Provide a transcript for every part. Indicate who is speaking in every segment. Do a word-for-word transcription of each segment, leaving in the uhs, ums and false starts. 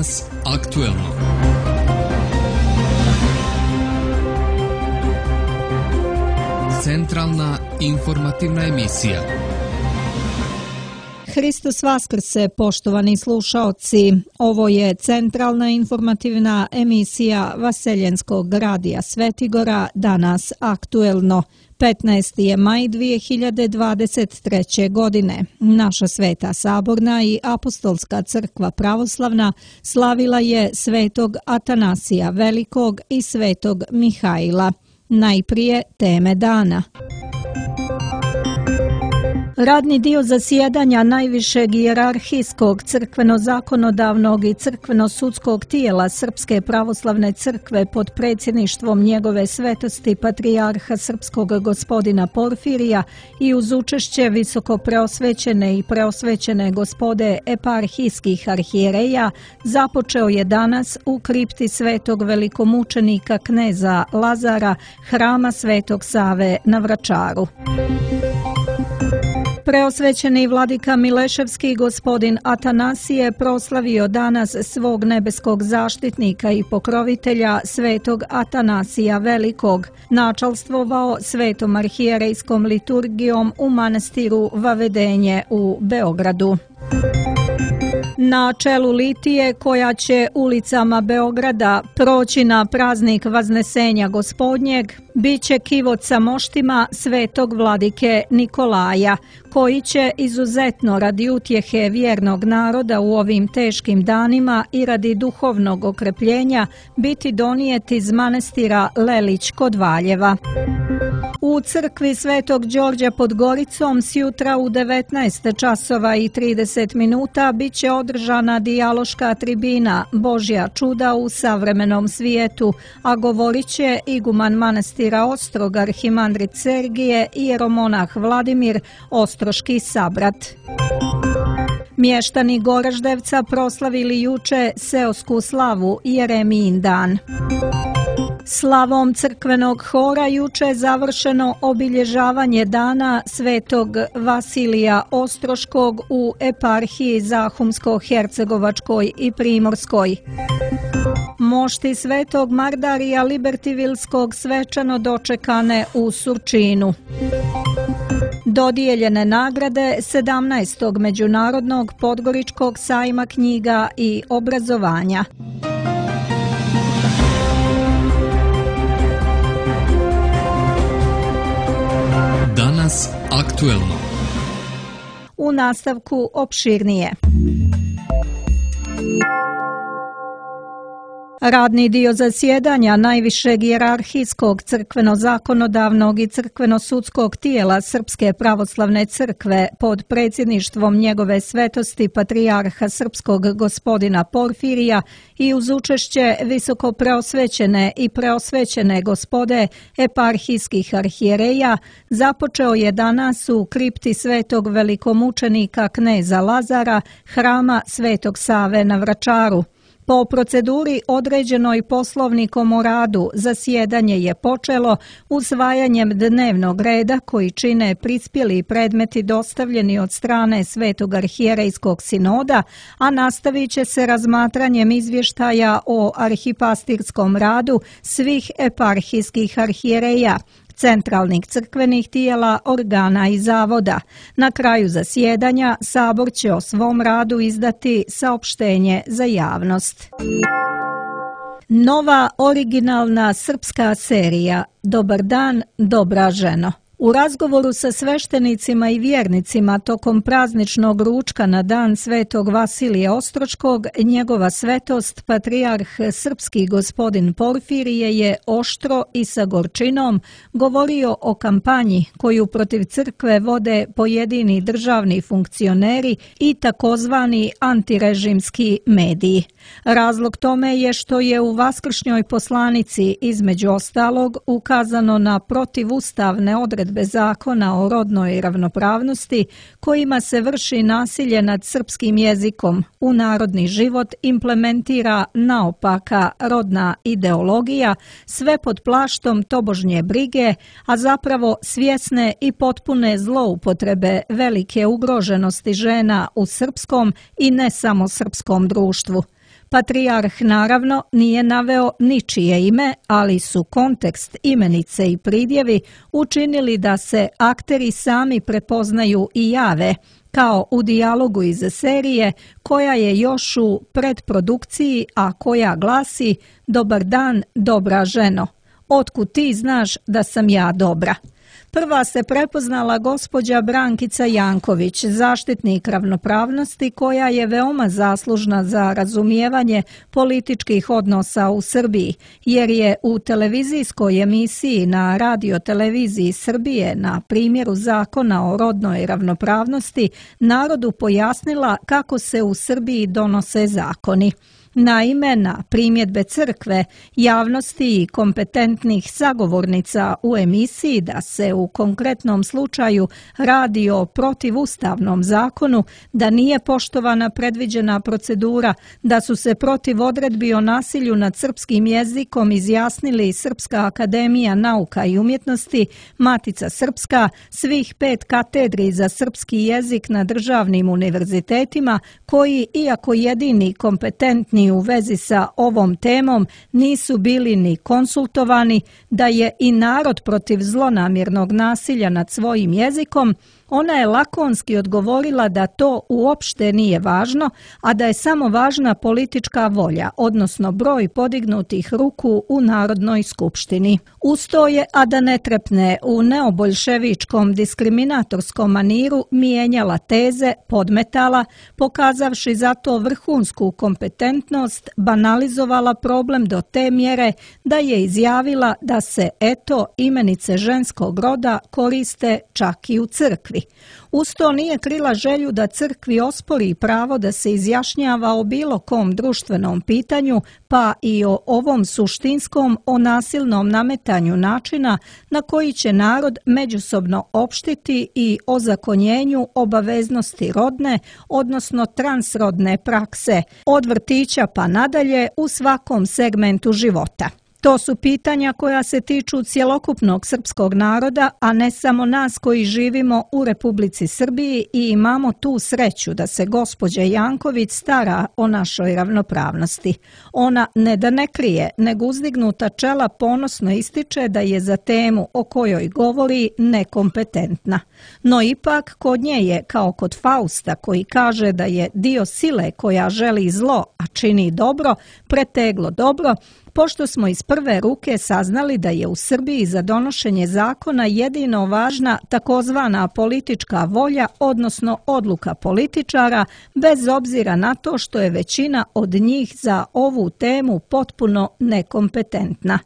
Speaker 1: Danas aktuelno. Centralna informativna emisija.
Speaker 2: Hristos Vaskrse, poštovani slušaoci. Ovo je centralna informativna emisija Vaseljenskog radija Svetigora, Danas aktuelno. petnaesti je maj dvije hiljade dvadeset treće. godine. Naša Sveta Saborna i Apostolska crkva pravoslavna slavila je svetog Atanasija Velikog i svetog Mihaila. Najprije teme dana. Radni dio zasjedanja najvišeg hijerarhijskog crkveno-zakonodavnog i crkveno-sudskog tijela Srpske pravoslavne crkve pod predsjedništvom njegove svetosti patrijarha srpskog gospodina Porfirija i uz učešće visoko preosvećene i preosvećene gospode eparhijskih arhijereja započeo je danas u kripti svetog velikomučenika kneza Lazara, hrama Svetog Save na Vračaru. Preosvećeni vladika Mileševski gospodin Atanasije proslavio danas svog nebeskog zaštitnika i pokrovitelja svetog Atanasija Velikog, načalstvovao svetom arhijerejskom liturgijom u manastiru Vavedenje u Beogradu. Na čelu litije koja će ulicama Beograda proći na praznik Vaznesenja Gospodnjeg bit će kivot sa moštima svetog vladike Nikolaja, koji će izuzetno radi utjehe vjernog naroda u ovim teškim danima i radi duhovnog okrepljenja biti donijet iz manastira Lelić kod Valjeva. U crkvi Svetog Đorđa pod Goricom sjutra u devetnaest časova i trideset minuta bit će održana dijaloška tribina Božja čuda u savremenom svijetu, a govorit će iguman manastira Ostrog arhimandrit Sergije i jeromonah Vladimir, ostroški sabrat. Mještani Goraždevca proslavili juče seosku slavu Jeremijin dan. Slavom crkvenog hora juče završeno obilježavanje dana svetog Vasilija Ostroškog u eparhiji Zahumsko-Hercegovačkoj i Primorskoj. Mošti svetog Mardarija Libertivilskog svečano dočekane u Surčinu. Dodijeljene nagrade sedamnaestog Međunarodnog Podgoričkog sajma knjiga i obrazovanja.
Speaker 1: Danas aktuelno.
Speaker 2: U nastavku opširnije. Radni dio zasjedanja najvišeg hijerarhijskog crkveno-zakonodavnog i crkveno-sudskog tijela Srpske pravoslavne crkve pod predsjedništvom njegove svetosti patrijarha srpskog gospodina Porfirija i uz učešće visoko preosvećene i preosvećene gospode eparhijskih arhijereja započeo je danas u kripti svetog velikomučenika kneza Lazara, hrama Svetog Save na Vračaru. Po proceduri određenoj Poslovnikom o radu, zasjedanje je počelo usvajanjem dnevnog reda koji čine prispjeli predmeti dostavljeni od strane Svetog arhijerejskog sinoda, a nastavit će se razmatranjem izvještaja o arhipastirskom radu svih eparhijskih arhijereja, centralnih crkvenih tijela, organa i zavoda. Na kraju zasjedanja Sabor će o svom radu izdati saopštenje za javnost. Nova originalna srpska serija Dobar dan, dobra ženo. U razgovoru sa sveštenicima i vjernicima tokom prazničnog ručka na dan svetog Vasilija Ostroškog, njegova svetost, patrijarh srpski gospodin Porfirije je oštro i sa gorčinom govorio o kampanji koju protiv crkve vode pojedini državni funkcioneri i takozvani antirežimski mediji. Razlog tome je što je u vaskršnjoj poslanici između ostalog ukazano na protivustavne odredbe zakona o rodnoj ravnopravnosti kojima se vrši nasilje nad srpskim jezikom, u narodni život implementira naopaka rodna ideologija, sve pod plaštom tobožnje brige, a zapravo svjesne i potpune zloupotrebe velike ugroženosti žena u srpskom i ne samo srpskom društvu. Patrijarh naravno nije naveo ničije ime, ali su kontekst, imenice i pridjevi učinili da se akteri sami prepoznaju i jave, kao u dijalogu iz serije koja je još u predprodukciji, a koja glasi: "Dobar dan, dobra ženo. Otkud ti znaš da sam ja dobra?" Prva se prepoznala gospođa Brankica Janković, zaštitnik ravnopravnosti koja je veoma zaslužna za razumijevanje političkih odnosa u Srbiji, jer je u televizijskoj emisiji na radioteleviziji Srbije na primjeru Zakona o rodnoj ravnopravnosti narodu pojasnila kako se u Srbiji donose zakoni. Naime, na primjedbe crkve, javnosti i kompetentnih sagovornica u emisiji da se u konkretnom slučaju radi o protivustavnom zakonu, da nije poštovana predviđena procedura, da su se protiv odredbi o nasilju nad srpskim jezikom izjasnili Srpska akademija nauka i umjetnosti, Matica Srpska, svih pet katedri za srpski jezik na državnim univerzitetima, koji, iako jedini kompetentni u vezi sa ovom temom, nisu bili ni konsultovani, da je i narod protiv zlonamjernog nasilja nad svojim jezikom, ona je lakonski odgovorila da to uopšte nije važno, a da je samo važna politička volja, odnosno broj podignutih ruku u Narodnoj skupštini. Uz to je, a da ne trepne, u neoboljševičkom diskriminatorskom maniru mijenjala teze, podmetala, pokazavši za to vrhunsku kompetentnost, banalizovala problem do te mjere da je izjavila da se, eto, imenice ženskog roda koriste čak i u crkvi. Uz to nije krila želju da crkvi ospori pravo da se izjašnjava o bilo kom društvenom pitanju, pa i o ovom suštinskom, o nasilnom nametanju načina na koji će narod međusobno opštiti i ozakonjenju obaveznosti rodne, odnosno transrodne prakse, od vrtića pa nadalje u svakom segmentu života. To su pitanja koja se tiču cjelokupnog srpskog naroda, a ne samo nas koji živimo u Republici Srbiji i imamo tu sreću da se gospođa Janković stara o našoj ravnopravnosti. Ona ne da ne krije, nego uzdignuta čela ponosno ističe da je za temu o kojoj govori nekompetentna. No ipak kod nje je, kao kod Fausta koji kaže da je dio sile koja želi zlo, a čini dobro, preteglo dobro, pošto smo iz prve ruke saznali da je u Srbiji za donošenje zakona jedino važna takozvana politička volja, odnosno odluka političara, bez obzira na to što je većina od njih za ovu temu potpuno nekompetentna.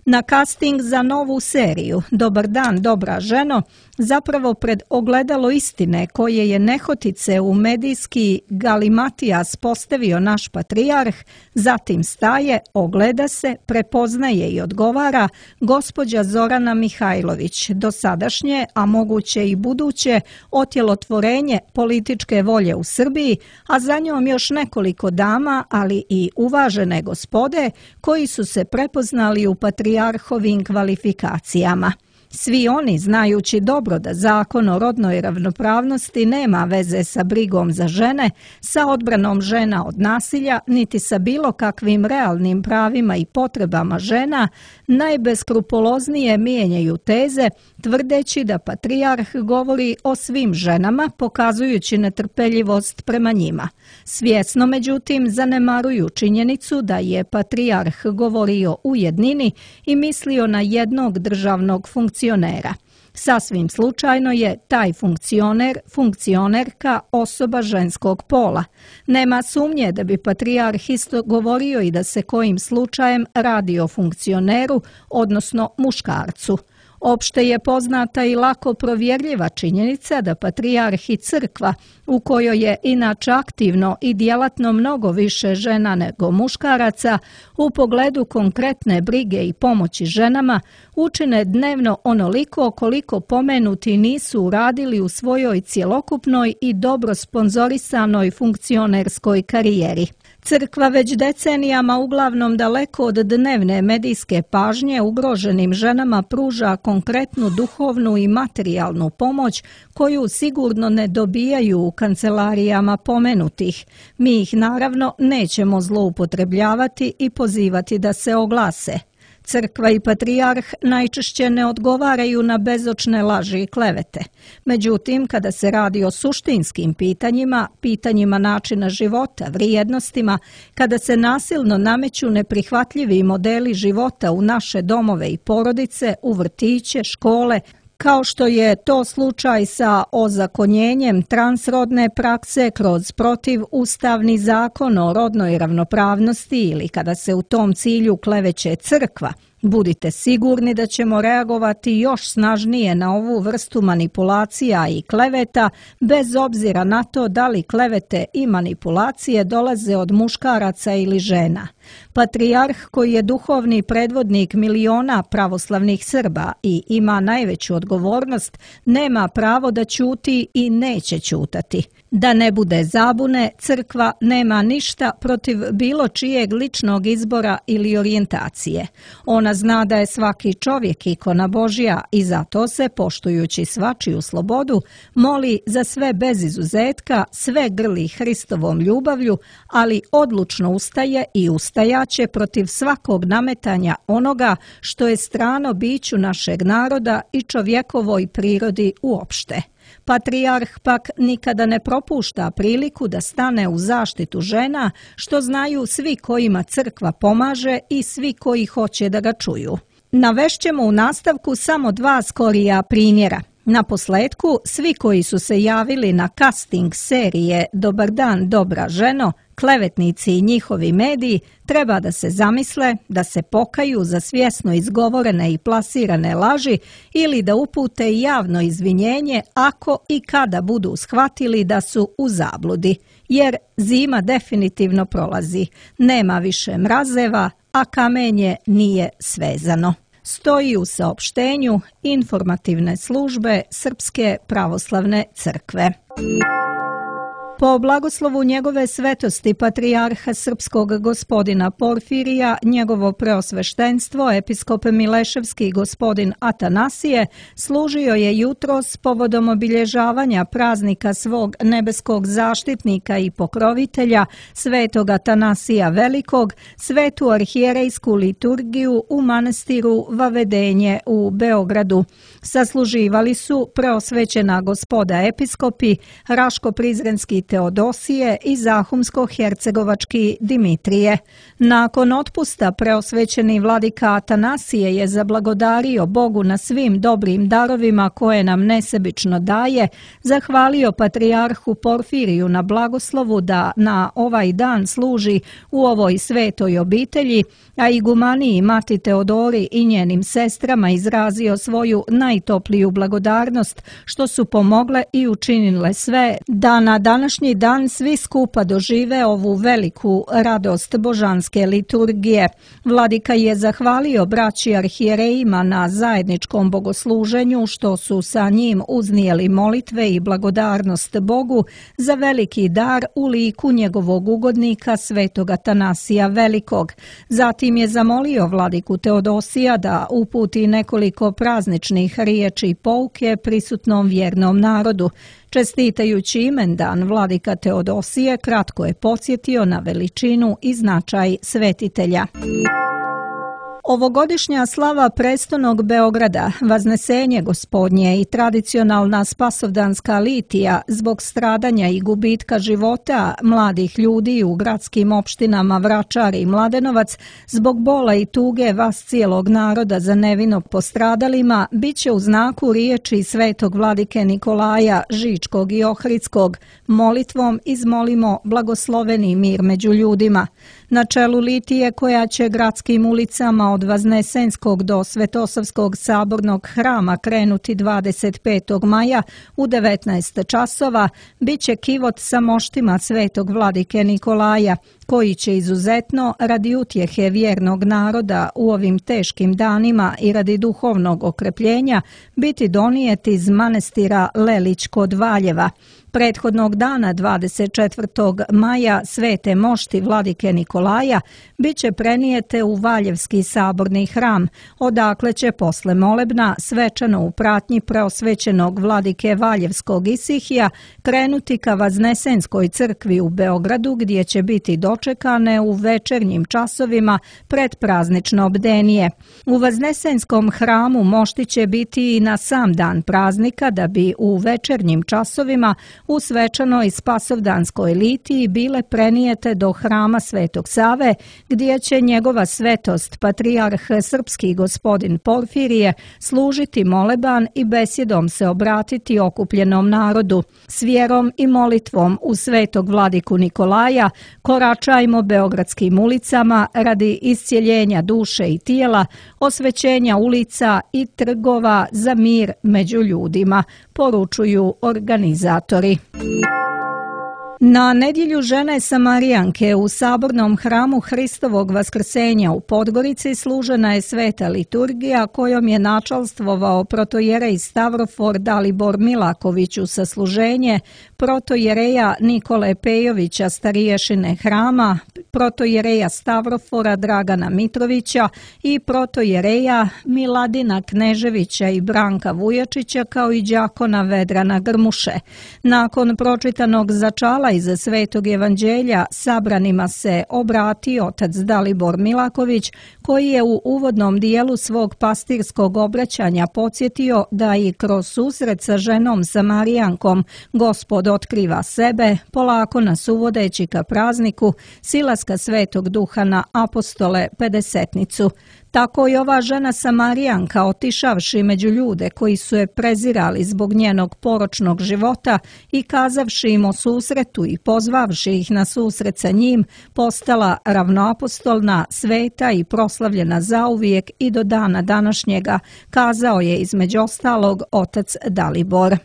Speaker 2: Na casting za novu seriju "Dobar dan, dobra ženo" zapravo pred ogledalo istine koje je nehotice u medijski galimatijas postavio naš patrijarh, zatim staje, ogleda se, prepoznaje i odgovara gospođa Zorana Mihajlović, dosadašnje, a moguće i buduće, otjelotvorenje političke volje u Srbiji, a za njom još nekoliko dama, ali i uvažene gospode koji su se prepoznali u patrijarhovim kvalifikacijama. Svi oni, znajući dobro da zakon o rodnoj ravnopravnosti nema veze sa brigom za žene, sa odbranom žena od nasilja, niti sa bilo kakvim realnim pravima i potrebama žena, najbeskrupuloznije mijenjaju teze, tvrdeći da patrijarh govori o svim ženama, pokazujući netrpeljivost prema njima. Svjesno, međutim, zanemaruju činjenicu da je patrijarh govorio u jednini i mislio na jednog državnog funkcionera. Sasvim slučajno je taj funkcioner, funkcionerka osoba ženskog pola. Nema sumnje da bi patrijarh isto govorio i da se kojim slučajem radi o funkcioneru, odnosno muškarcu. Opšte je poznata i lako provjerljiva činjenica da patrijarh i crkva, u kojoj je inače aktivno i djelatno mnogo više žena nego muškaraca, u pogledu konkretne brige i pomoći ženama, učine dnevno onoliko koliko pomenuti nisu uradili u svojoj cjelokupnoj i dobro sponzorisanoj funkcionerskoj karijeri. Crkva već decenijama uglavnom daleko od dnevne medijske pažnje ugroženim ženama pruža konkretnu duhovnu i materijalnu pomoć koju sigurno ne dobijaju u kancelarijama pomenutih. Mi ih naravno nećemo zloupotrebljavati i pozivati da se oglase. Crkva i patrijarh najčešće ne odgovaraju na bezočne laži i klevete. Međutim, kada se radi o suštinskim pitanjima, pitanjima načina života, vrijednostima, kada se nasilno nameću neprihvatljivi modeli života u naše domove i porodice, u vrtiće, škole, kao što je to slučaj sa ozakonjenjem transrodne prakse kroz protivustavni zakon o rodnoj ravnopravnosti ili kada se u tom cilju kleveće crkva, budite sigurni da ćemo reagovati još snažnije na ovu vrstu manipulacija i kleveta, bez obzira na to da li klevete i manipulacije dolaze od muškaraca ili žena. Patrijarh, koji je duhovni predvodnik miliona pravoslavnih Srba i ima najveću odgovornost, nema pravo da ćuti i neće ćutati. Da ne bude zabune, crkva nema ništa protiv bilo čijeg ličnog izbora ili orijentacije. Ona zna da je svaki čovjek ikona Božja i zato se, poštujući svačiju slobodu, moli za sve bez izuzetka, sve grli Hristovom ljubavlju, ali odlučno ustaje i ustajaće protiv svakog nametanja onoga što je strano biću našeg naroda i čovjekovoj prirodi uopšte. Patrijarh pak nikada ne propušta priliku da stane u zaštitu žena, što znaju svi kojima crkva pomaže i svi koji hoće da ga čuju. Navešćemo u nastavku samo dva skorija primjera. Na posletku, svi koji su se javili na casting serije Dobar dan, dobra ženo, klevetnici i njihovi mediji, treba da se zamisle, da se pokaju za svjesno izgovorene i plasirane laži ili da upute javno izvinjenje ako i kada budu shvatili da su u zabludi. Jer zima definitivno prolazi, nema više mrazeva, a kamenje nije svezano. Stoji u saopštenju informativne službe Srpske pravoslavne crkve. Po blagoslovu njegove svetosti patrijarha srpskog gospodina Porfirija, njegovo preosveštenstvo, episkop Mileševski gospodin Atanasije, služio je jutros povodom obilježavanja praznika svog nebeskog zaštitnika i pokrovitelja, svetog Atanasija Velikog, svetu arhijerejsku liturgiju u manastiru Vavedenje u Beogradu. Sasluživali su preosvećena gospoda episkopi, Raško-Prizrenski Teodosije i Zahumsko-Hercegovački Dimitrije. Nakon otpusta preosvećeni vladika Atanasije je zablagodario Bogu na svim dobrim darovima koje nam nesebično daje, zahvalio patrijarhu Porfiriju na blagoslovu da na ovaj dan služi u ovoj svetoj obitelji, a igumaniji Mati Teodori i njenim sestrama izrazio svoju najtopliju blagodarnost što su pomogle i učinile sve da na današnji dan svi skupa dožive ovu veliku radost božanske liturgije. Vladika je zahvalio braći arhijerejima na zajedničkom bogosluženju što su sa njim uznijeli molitve i blagodarnost Bogu za veliki dar u liku njegovog ugodnika svetog Atanasija Velikog. Zatim je zamolio vladiku Teodosija da uputi nekoliko prazničnih riječi i pouke prisutnom vjernom narodu. Čestitajući imendan vladika Teodosije, kratko je podsjetio na veličinu i značaj svetitelja. Ovogodišnja slava prestonog Beograda, Vaznesenje Gospodnje i tradicionalna spasovdanska litija zbog stradanja i gubitka života mladih ljudi u gradskim opštinama Vračar i Mladenovac, zbog bola i tuge vas cijelog naroda za nevino postradalima, bit će u znaku riječi svetog vladike Nikolaja Žičkog i Ohridskog. Molitvom izmolimo blagosloveni mir među ljudima. Na čelu litije koja će gradskim ulicama od Vaznesenskog do Svetosavskog sabornog hrama krenuti dvadeset petog maja u devetnaest časova, bit će kivot sa moštima svetog vladike Nikolaja, koji će izuzetno radi utjehe vjernog naroda u ovim teškim danima i radi duhovnog okrepljenja biti donijeti iz manastira Lelić kod Valjeva. Prethodnog dana dvadeset četvrtog maja svete mošti vladike Nikolaja bit će prenijete u Valjevski saborni hram, odakle će posle molebna svečano u pratnji preosvećenog vladike Valjevskog Isihija krenuti ka Vaznesenskoj crkvi u Beogradu, gdje će biti dočekane u večernjim časovima pred praznično bdenije. U Vaznesenskom hramu mošti će biti i na sam dan praznika, da bi u večernjim časovima u svečanoj spasovdanskoj litiji bile prenijete do hrama Svetog Save, gdje će njegova svetost patrijarh srpski gospodin Porfirije služiti moleban i besjedom se obratiti okupljenom narodu. S vjerom i molitvom u svetog vladiku Nikolaja koračajmo beogradskim ulicama radi iscjeljenja duše i tijela, osvećenja ulica i trgova za mir među ljudima, poručuju organizatori. Na nedjelju žene Samarijanke u sabornom hramu Hristovog Vaskrsenja u Podgorici služena je sveta liturgija kojom je načalstvovao protojerej Stavrofor Dalibor Milaković u sasluženje, protojereja Nikole Pejovića stariješine hrama, protojereja Stavrofora Dragana Mitrovića i protojereja Miladina Kneževića i Branka Vujačića, kao i đakona Vedrana Grmuše. Nakon pročitanog začala iz Svetog evanđelja sabranima se obratio otac Dalibor Milaković, koji je u uvodnom dijelu svog pastirskog obraćanja podsjetio da i kroz susret sa ženom Samarijankom Gospod otkriva sebe, polako nas uvodeći ka prazniku silaska Svetog Duha na apostole pedesetnicu. Tako i ova žena Samarijanka, otišavši među ljude koji su je prezirali zbog njenog poročnog života i kazavši im o susretu i pozvavši ih na susret sa njim, postala ravnoapostolna, sveta i proslavljena zauvijek i do dana današnjega, kazao je između ostalog otac Dalibor.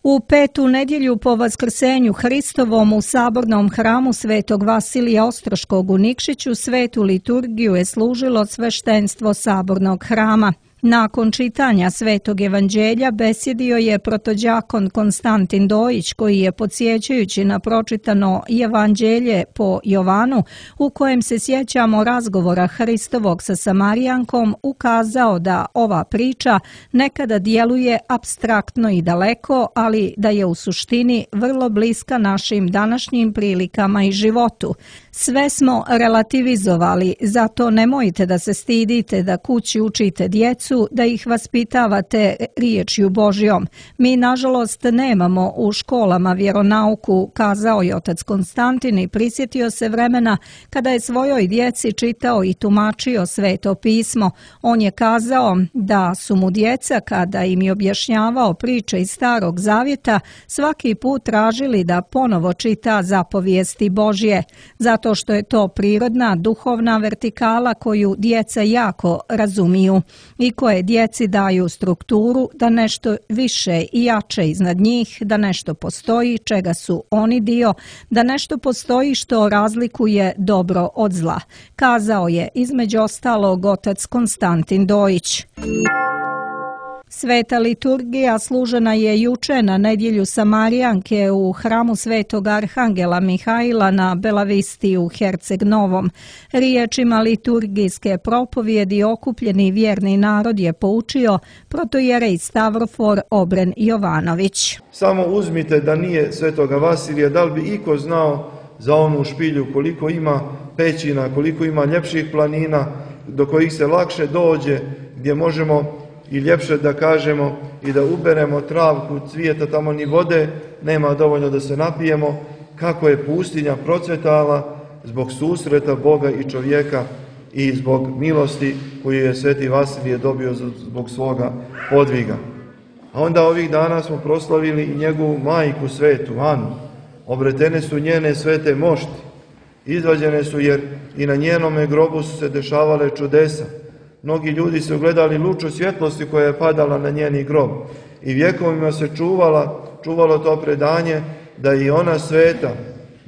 Speaker 2: U petu nedjelju po Vaskrsenju Hristovom u sabornom hramu Svetog Vasilija Ostroškog u Nikšiću svetu liturgiju je služilo sveštenstvo sabornog hrama. Nakon čitanja Svetog evanđelja besjedio je protođakon Konstantin Dojić, koji je, podsjećajući na pročitano evanđelje po Jovanu, u kojem se sjećamo razgovora Hristovog sa Samarijankom, ukazao da ova priča nekada djeluje apstraktno i daleko, ali da je u suštini vrlo bliska našim današnjim prilikama i životu. Sve smo relativizovali, zato nemojte da se stidite da kući učite djecu, da ih vaspitavate riječju Božjom. Mi, nažalost, nemamo u školama vjeronauku, kazao je otac Konstantin i prisjetio se vremena kada je svojoj djeci čitao i tumačio Sveto pismo. On je kazao da su mu djeca, kada im je objašnjavao priče iz Starog Zavjeta, svaki put tražili da ponovo čita zapovijesti Božje, zato što je to prirodna, duhovna vertikala koju djeca jako razumiju i koje djeci daju strukturu da nešto više i jače iznad njih, da nešto postoji čega su oni dio, da nešto postoji što razlikuje dobro od zla, kazao je između ostalog otac Konstantin Dojić. Sveta liturgija služena je juče na nedjelju Samarijanke u hramu Svetog Arhangela Mihajla na Belavisti u Herceg Novom. Riječima liturgijske propovjedi okupljeni vjerni narod je poučio protojerej Stavrofor Obren Jovanović.
Speaker 3: Samo uzmite da nije Svetoga Vasilija, da li bi iko znao za onu špilju koliko ima pećina, koliko ima ljepših planina do kojih se lakše dođe, gdje možemo i ljepše da kažemo i da uberemo travku, cvijeta, tamo ni vode nema dovoljno da se napijemo, kako je pustinja procvetala zbog susreta Boga i čovjeka i zbog milosti koju je Sveti Vasilije dobio zbog svoga podviga. A onda ovih dana smo proslavili i njegovu majku svetu, Anu. Obretene su njene svete mošti, izvađene su jer i na njenome grobu su se dešavale čudesa. Mnogi ljudi su gledali luču svjetlosti koja je padala na njeni grob i vjekovima se čuvala, čuvalo to predanje da je i ona sveta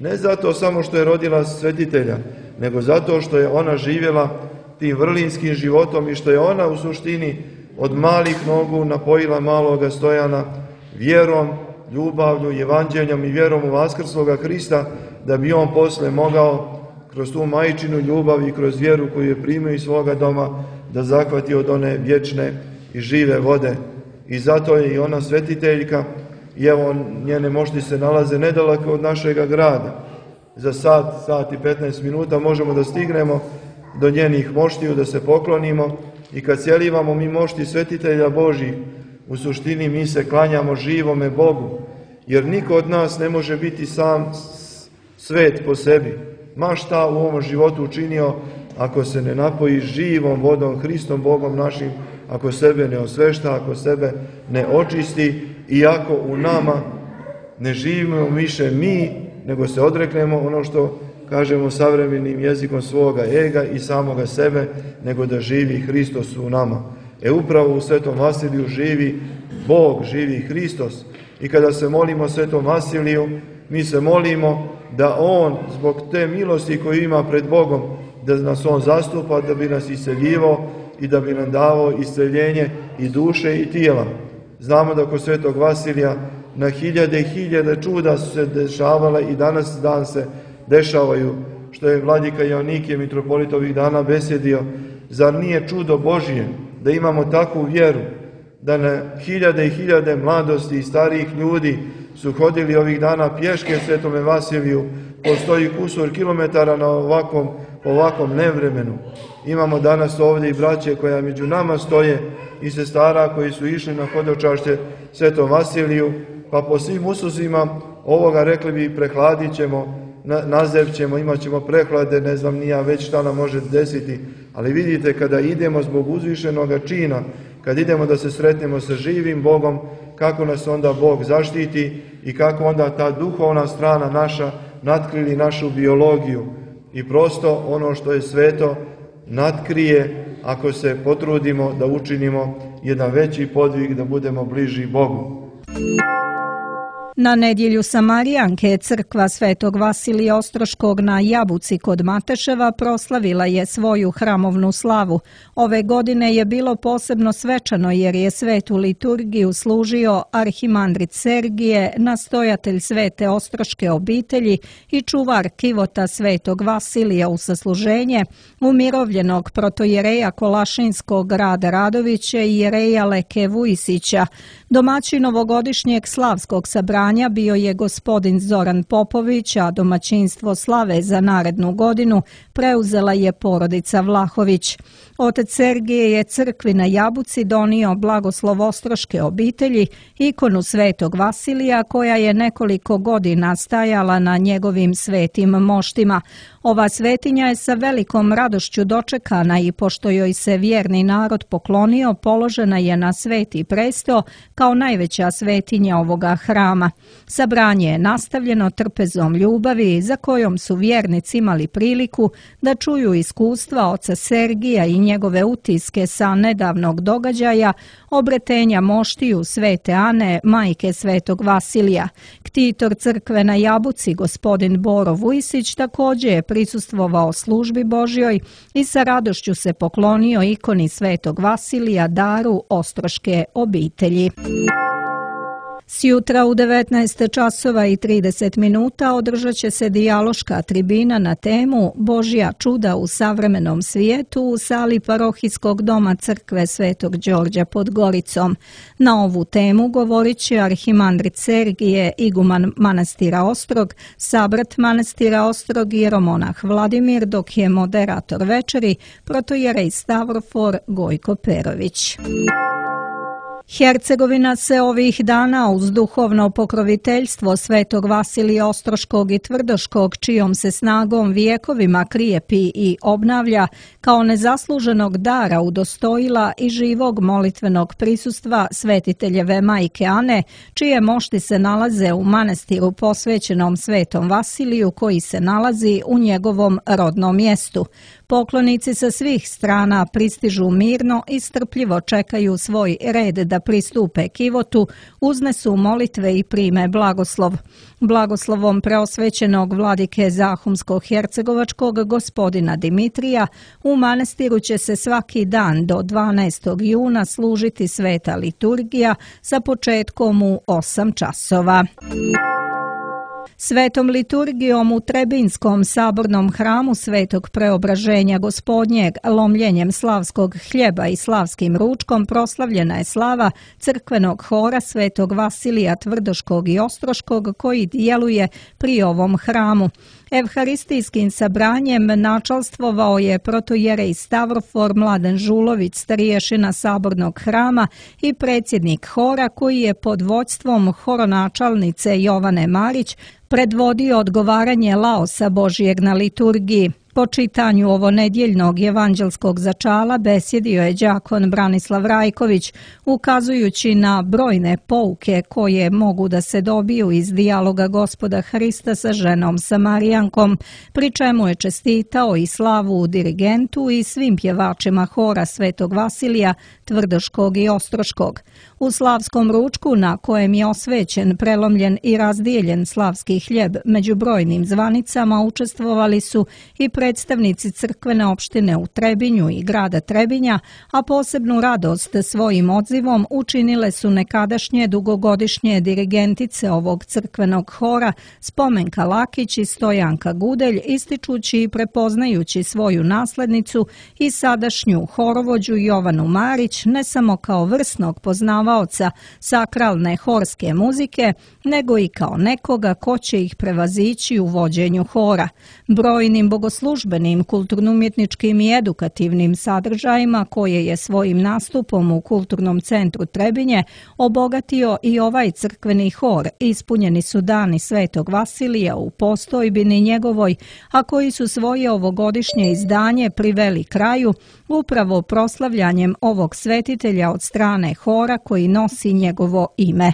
Speaker 3: Ne zato samo što je rodila svetitelja, nego zato što je ona živjela tim vrlinskim životom i što je ona u suštini od malih nogu napojila maloga Stojana vjerom, ljubavlju, evanđeljom i vjerom u vaskrsloga Hrista, da bi on posle mogao kroz tu majčinu ljubav i kroz vjeru koju je primio iz svoga doma da zahvati od one vječne i žive vode. I zato je i ona svetiteljka, i evo njene mošti se nalaze nedaleko od našega grada. Za sat, sat i petnaest minuta možemo da stignemo do njenih moštiju, da se poklonimo, i kad sjelivamo mi mošti svetitelja Božih, u suštini mi se klanjamo živome Bogu, jer niko od nas ne može biti sam svet po sebi. Ma šta u ovom životu učinio, ako se ne napoji živom vodom, Hristom Bogom našim, ako sebe ne osvešta, ako sebe ne očisti, i ako u nama ne živimo više mi, nego se odreknemo ono što kažemo savremenim jezikom svoga ega i samoga sebe, nego da živi Hristos u nama. E upravo u Svetom Vasiliju živi Bog, živi Hristos. I kada se molimo Svetom Vasiliju, mi se molimo da on, zbog te milosti koju ima pred Bogom, da nas on zastupa, da bi nas isceljivao i da bi nam davao isceljenje i duše i tijela. Znamo da kod Svetog Vasilija na hiljade i hiljade čuda su se dešavala i danas dan se dešavaju, što je vladika Joanikije, mitropolit, ovih dana besjedio. Zar nije čudo Božije da imamo takvu vjeru, da na hiljade i hiljade mladosti i starijih ljudi su hodili ovih dana pješke Svetome Vasiliju, postoji kusur kilometara na ovakvom, ovakvom nevremenu. Imamo danas ovdje i braće koja među nama stoje i sestara koji su išli na hodočašće Svetom Vasiliju, pa po svim ususima ovoga, rekli bi, prehladit ćemo, nazevćemo, imat ćemo prehlade, ne znam ni ja već šta nam može desiti, ali vidite, kada idemo zbog uzvišenoga čina, kad idemo da se sretnemo sa živim Bogom, kako nas onda Bog zaštiti i kako onda ta duhovna strana naša natkrili našu biologiju i prosto ono što je sveto natkrije ako se potrudimo da učinimo jedan veći podvig, da budemo bliži Bogu.
Speaker 2: Na nedjelju Samarijanke crkva Svetog Vasilija Ostroškog na Jabuci kod Mateševa proslavila je svoju hramovnu slavu. Ove godine je bilo posebno svečano jer je svetu liturgiju služio arhimandrit Sergije, nastojatelj Svete Ostroške obitelji i čuvar kivota Svetog Vasilija u sasluženje, umirovljenog protojereja Kolašinskog Rada Radovića i jereja Leke Vujisića. Domaćin ovogodišnjeg slavskog sabranja bio je gospodin Zoran Popović, a domaćinstvo slave za narednu godinu preuzela je porodica Vlahović. Otac Sergije je crkvi na Jabuci donio blagoslov Ostroške obitelji, ikonu Svetog Vasilija koja je nekoliko godina stajala na njegovim svetim moštima. Ova svetinja je sa velikom radošću dočekana i pošto joj se vjerni narod poklonio, položena je na sveti presto kao najveća svetinja ovoga hrama. Sabranje je nastavljeno trpezom ljubavi za kojom su vjernici imali priliku da čuju iskustva oca Sergija i njegove utiske sa nedavnog događaja obretenja moštiju Svete Ane, majke Svetog Vasilija. Ktitor crkve na Jabuci, gospodin Boro Vujisić, također je prisustvovao službi Božjoj i sa radošću se poklonio ikoni Svetog Vasilija, daru Ostroške obitelji. Sjutra u devetnaest časova i trideset minuta održat će se dijaloška tribina na temu Božja čuda u savremenom svijetu u sali parohijskog doma crkve Svetog Đorđa pod Goricom. Na ovu temu govorit će arhimandrit Sergije, iguman manastira Ostrog, sabrat manastira Ostrog i jeromonah Vladimir, dok je moderator večeri protojerej Stavrofor Gojko Perović. Hercegovina se ovih dana uz duhovno pokroviteljstvo Svetog Vasilija Ostroškog i Tvrdoškog, čijom se snagom vijekovima krijepi i obnavlja, kao nezasluženog dara udostojila i živog molitvenog prisustva svetiteljeve majke Ane, čije mošti se nalaze u manastiru posvećenom Svetom Vasiliju koji se nalazi u njegovom rodnom mjestu. Poklonici sa svih strana pristižu mirno i strpljivo čekaju svoj red da pristupe kivotu, uznesu molitve i prime blagoslov. Blagoslovom preosvećenog vladike Zahumsko-hercegovačkog gospodina Dimitrija u manastiru će se svaki dan do dvanaestog juna služiti sveta liturgija sa početkom u osam časova. Svetom liturgijom u Trebinskom sabornom hramu Svetog Preobraženja Gospodnjeg, lomljenjem slavskog hljeba i slavskim ručkom proslavljena je slava crkvenog hora Svetog Vasilija Tvrdoškog i Ostroškog koji djeluje pri ovom hramu. Evharistijskim sabranjem načalstvovao je protojerej Stavrofor Mladen Žulović, starješina sabornog hrama i predsjednik hora koji je pod vođstvom horonačalnice Jovane Marić predvodio odgovaranje laosa Božijeg na liturgiji. Po čitanju ovonedjeljnog evanđelskog začala besjedio je đakon Branislav Rajković, ukazujući na brojne pouke koje mogu da se dobiju iz dijaloga Gospoda Hrista sa ženom Samarijankom, pri čemu je čestitao i slavu dirigentu i svim pjevačima hora Svetog Vasilija, Tvrdoškog i Ostroškog. U slavskom ručku, na kojem je osvećen, prelomljen i razdijeljen slavski hljeb među brojnim zvanicama, učestvovali su i predstavnici crkvene opštine u Trebinju i grada Trebinja, a posebnu radost svojim odzivom učinile su nekadašnje dugogodišnje dirigentice ovog crkvenog hora Spomenka Lakić i Stojanka Gudelj, ističući i prepoznajući svoju naslednicu i sadašnju horovođu Jovanu Marić ne samo kao vrsnog poznavaoca sakralne horske muzike, nego i kao nekoga ko će ih prevazići u vođenju hora. Brojnim bogoslužbenim, kulturno-umjetničkim i edukativnim sadržajima koje je svojim nastupom u Kulturnom centru Trebinje obogatio i ovaj crkveni hor, ispunjeni su dani Svetog Vasilija u postojbini njegovoj, a koji su svoje ovogodišnje izdanje priveli kraju upravo proslavljanjem ovog svetitelja od strane hora koji nosi njegovo ime.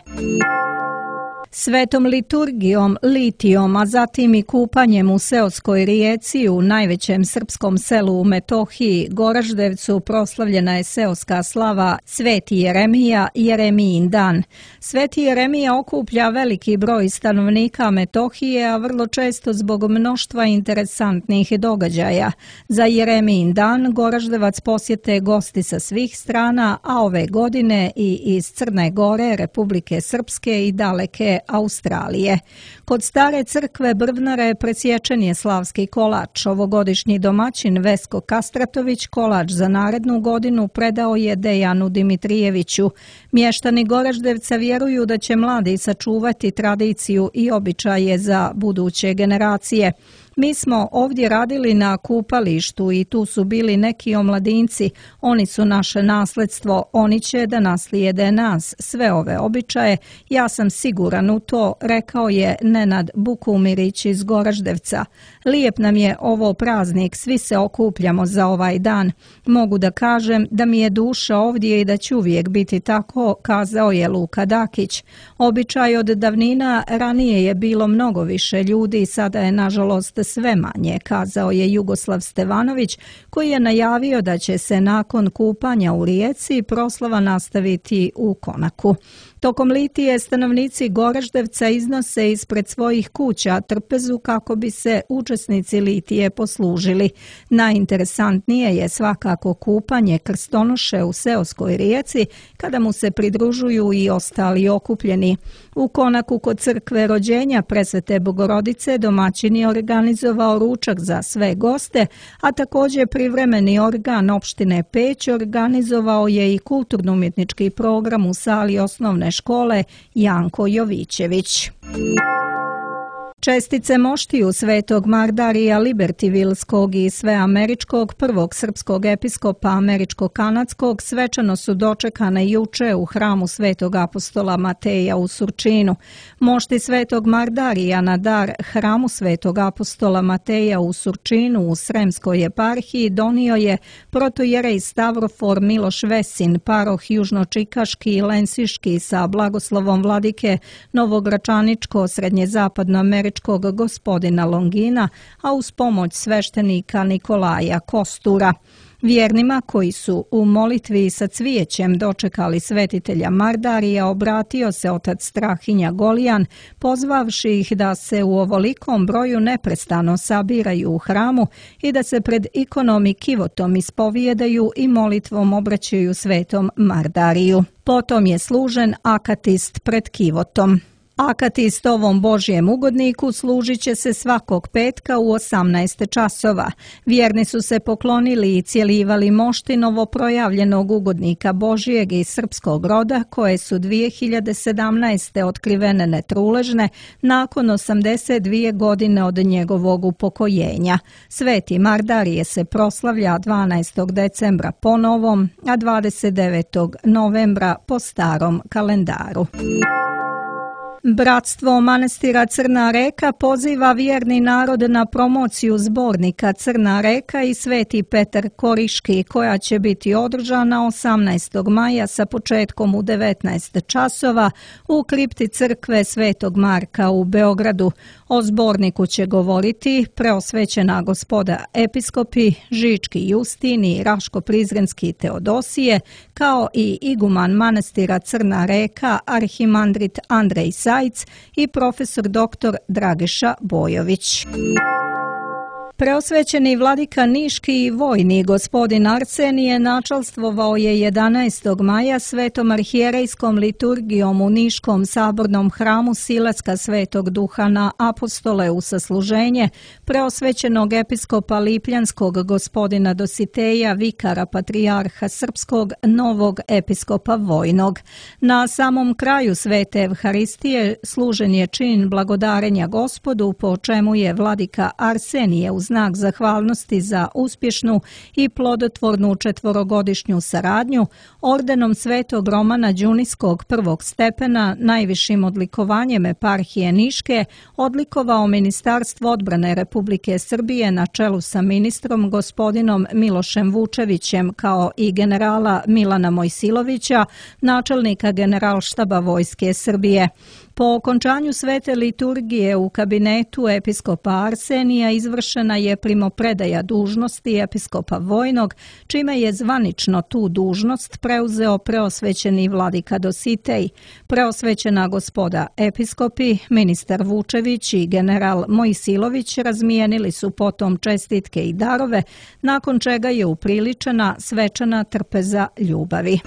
Speaker 2: Svetom liturgijom, litijom, a zatim i kupanjem u seoskoj rijeci u najvećem srpskom selu u Metohiji, Goraždevcu, proslavljena je seoska slava Sveti Jeremija, Jeremijin dan. Sveti Jeremija okuplja veliki broj stanovnika Metohije, a vrlo često zbog mnoštva interesantnih događaja. Za Jeremijin dan Goraždevac posjete gosti sa svih strana, a ove godine i iz Crne Gore, Republike Srpske i daleke Australije. Kod stare crkve Brvnare presječen je slavski kolač. Ovogodišnji domaćin Vesko Kastratović kolač za narednu godinu predao je Dejanu Dimitrijeviću. Mještani Goraždevca vjeruju da će mladi sačuvati tradiciju i običaje za buduće generacije. Mi smo ovdje radili na kupalištu i tu su bili neki omladinci. Oni su naše nasledstvo, oni će da naslijede nas, sve ove običaje. Ja sam siguran u to, rekao je Nenad Bukumirić iz Goraždevca. Lijep nam je ovo praznik, svi se okupljamo za ovaj dan. Mogu da kažem da mi je duša ovdje i da će uvijek biti tako, kazao je Luka Dakić. Običaj od davnina, ranije je bilo mnogo više ljudi, sada je nažalost sve manje, kazao je Jugoslav Stevanović, koji je najavio da će se nakon kupanja u rijeci proslava nastaviti u Konaku. Tokom litije stanovnici Goraždevca iznose ispred svojih kuća trpezu kako bi se učesnici litije poslužili. Najinteresantnije je svakako kupanje krstonoše u seoskoj rijeci kada mu se pridružuju i ostali okupljeni. U Konaku kod crkve rođenja Presvete Bogorodice domaćin je organizovao ručak za sve goste, a također privremeni organ opštine Peć organizovao je i kulturno-umjetnički program u sali osnovne škole Janko Jovićević. Čestice moštiju Svetog Mardarija Libertivilskog i Sveameričkog prvog srpskog episkopa američko-kanadskog svečano su dočekane juče u hramu Svetog apostola Mateja u Surčinu. Mošti Svetog Mardarija na dar hramu Svetog apostola Mateja u Surčinu u Sremskoj eparhiji donio je protojerej Stavrofor Miloš Vesin, paroh južnočikaški i lensiški sa blagoslovom vladike Novogračaničko-srednjezapadnoameričkog gospodina Longina, a uz pomoć sveštenika Nikolaja Kostura. Vjernima koji su u molitvi sa cvijećem dočekali svetitelja Mardarija obratio se otac Strahinja Golijan, pozvavši ih da se u ovolikom broju neprestano sabiraju u hramu i da se pred ikonom i kivotom ispovijedaju i molitvom obraćaju svetom Mardariju. Potom je služen akatist pred kivotom. Akatist ovom Božjem ugodniku služit će se svakog petka u osamnaest časova. Vjerni su se poklonili i cjelivali mošti novoprojavljenog ugodnika Božjeg iz srpskog roda, koje su dvije hiljade sedamnaeste otkrivene netruležne nakon osamdeset dvije godine od njegovog upokojenja. Sveti Mardarije se proslavlja dvanaestog decembra po novom, a dvadeset devetog novembra po starom kalendaru. Bratstvo manastira Crna Reka poziva vjerni narod na promociju zbornika Crna Reka i Sveti Petar Koriški, koja će biti održana osamnaestog maja sa početkom u devetnaest časova u kripti crkve Svetog Marka u Beogradu. O zborniku će govoriti preosvećena gospoda episkopi Žički Justin i Raško-Prizrenski Teodosije, kao i iguman manastira Crna Reka arhimandrit Andrej Sajc i profesor doktor Dragiša Bojović. Preosvećeni vladika Niški i vojni gospodin Arsenije načalstvovao je jedanaestog maja svetom arhijerejskom liturgijom u Niškom sabornom hramu Silacka Svetog Duha na Apostole u sasluženje preosvećenog episkopa Lipljanskog gospodina Dositeja, vikara patrijarha srpskog, novog episkopa vojnog. Na samom kraju svete Evharistije služen je čin blagodarenja Gospodu, po čemu je vladika Arsenije uz znak zahvalnosti za uspješnu i plodotvornu četvorogodišnju saradnju ordenom Svetog Romana Đuniskog prvog stepena, najvišim odlikovanjem eparhije Niške, odlikovao Ministarstvo odbrane Republike Srbije na čelu sa ministrom gospodinom Milošem Vučevićem, kao i generala Milana Mojsilovića, načelnika Generalštaba Vojske Srbije. Po okončanju svete liturgije u kabinetu episkopa Arsenija izvršena je primopredaja dužnosti episkopa vojnog, čime je zvanično tu dužnost preuzeo preosvećeni vladika Dositej. Preosvećena gospoda episkopi, ministar Vučević i general Mojsilović razmijenili su potom čestitke i darove, nakon čega je upriličena svečana trpeza ljubavi.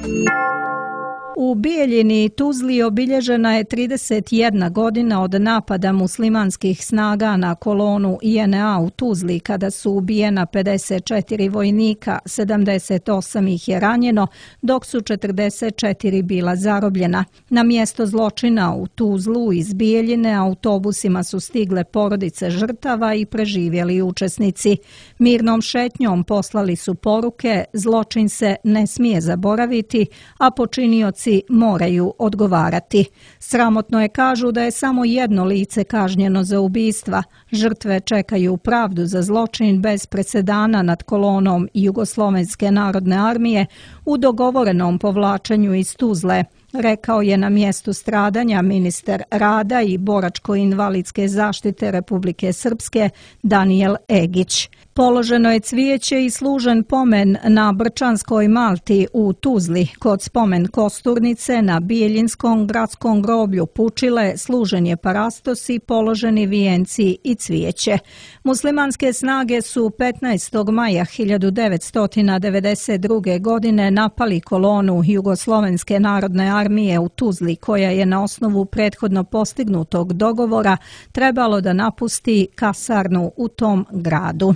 Speaker 2: U Bijeljini i Tuzli obilježena je trideset jedna godina od napada muslimanskih snaga na kolonu I N A u Tuzli, kada su ubijena pedeset četiri vojnika, sedamdeset osam ih je ranjeno, dok su četrdeset četiri bila zarobljena. Na mjesto zločina u Tuzlu iz Bijeljine autobusima su stigle porodice žrtava i preživjeli učesnici. Mirnom šetnjom poslali su poruke: zločin se ne smije zaboraviti, a počinioci moraju odgovarati. Sramotno je, kažu, da je samo jedno lice kažnjeno za ubistva. Žrtve čekaju pravdu za zločin bez presedana nad kolonom Jugoslovenske narodne armije u dogovorenom povlačenju iz Tuzle, rekao je na mjestu stradanja ministar rada i boračko-invalidske zaštite Republike Srpske Danijel Egić. Položeno je cvijeće i služen pomen na Brčanskoj Malti u Tuzli. Kod spomen kosturnice na Bijeljinskom gradskom groblju Pučile služen je parastos i položeni vijenci i cvijeće. Muslimanske snage su petnaestog maja hiljadu devetsto devedeset druge. godine napali kolonu Jugoslovenske narodne armije u Tuzli, koja je na osnovu prethodno postignutog dogovora trebalo da napusti kasarnu u tom gradu.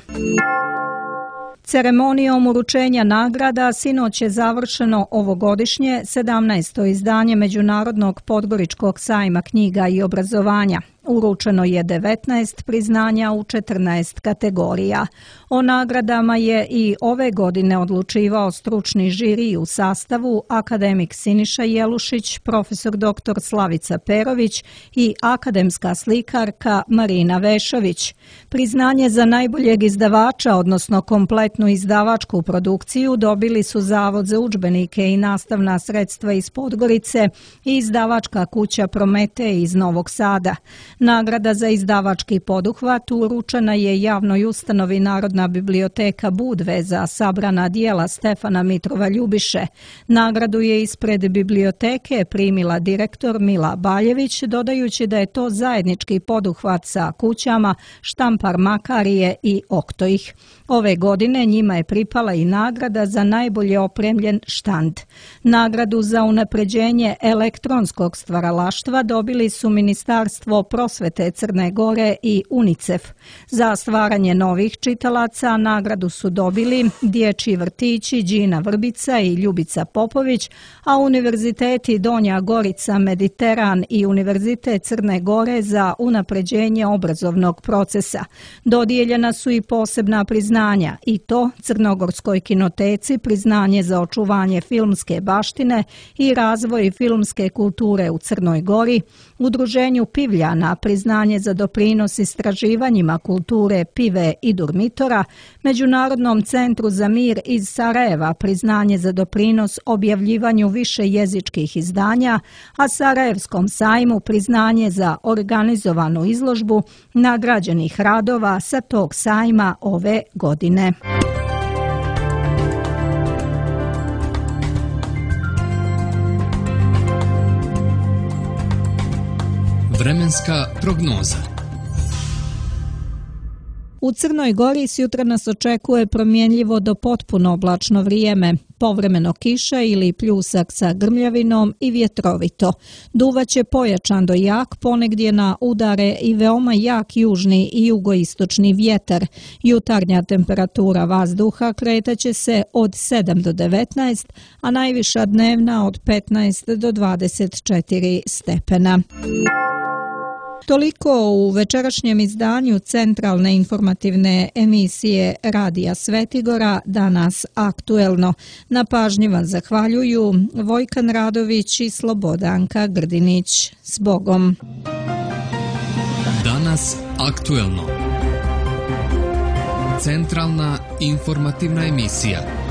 Speaker 2: Ceremonijom uručenja nagrada sinoć je završeno ovogodišnje sedamnaesto izdanje Međunarodnog Podgoričkog sajma knjiga i obrazovanja. Uručeno je devetnaest priznanja u četrnaest kategorija. O nagradama je i ove godine odlučivao stručni žiri u sastavu akademik Siniša Jelušić, profesor doktor Slavica Perović i akademska slikarka Marina Vešović. Priznanje za najboljeg izdavača, odnosno kompletnu izdavačku produkciju, dobili su Zavod za udžbenike i nastavna sredstva iz Podgorice i izdavačka kuća Prometej iz Novog Sada. Nagrada za izdavački poduhvat uručena je javnoj ustanovi Narodna biblioteka Budve za sabrana dijela Stefana Mitrova Ljubiše. Nagradu je ispred biblioteke primila direktor Mila Baljević, dodajući da je to zajednički poduhvat sa kućama Štampar Makarije i Oktoih. Ove godine njima je pripala i nagrada za najbolje opremljen štand. Nagradu za unapređenje elektronskog stvaralaštva dobili su Ministarstvo prosvete Crne Gore i UNICEF. Za stvaranje novih čitalaca nagradu su dobili Dječji vrtići Đina Vrbica i Ljubica Popović, a univerziteti Donja Gorica, Mediteran i Univerzitet Crne Gore za unapređenje obrazovnog procesa. Dodijeljena su i posebna priznanja, i to Crnogorskoj kinoteci priznanje za očuvanje filmske baštine i razvoj filmske kulture u Crnoj Gori, Udruženju Pivljana priznanje za doprinos istraživanjima kulture Pive i Durmitora, Međunarodnom centru za mir iz Sarajeva priznanje za doprinos objavljivanju više jezičkih izdanja, a Sarajevskom sajmu priznanje za organizovanu izložbu nagrađenih radova sa tog sajma ove godine.
Speaker 1: Vremenska prognoza.
Speaker 2: U Crnoj Gori sjutra nas očekuje promjenljivo do potpuno oblačno vrijeme, povremeno kiša ili pljusak sa grmljavinom i vjetrovito. Duvaće pojačan do jak, ponegdje na udare i veoma jak južni i jugoistočni vjetar. Jutarnja temperatura vazduha kretaće se od sedam do devetnaest, a najviša dnevna od petnaest do dvadeset četiri stepena. Toliko u večerašnjem izdanju centralne informativne emisije Radija Svetigora, danas aktuelno. Na pažnji vam zahvaljuju Vojkan Radović i Slobodanka Grdinić. S Bogom!
Speaker 1: Danas aktuelno. Centralna informativna emisija.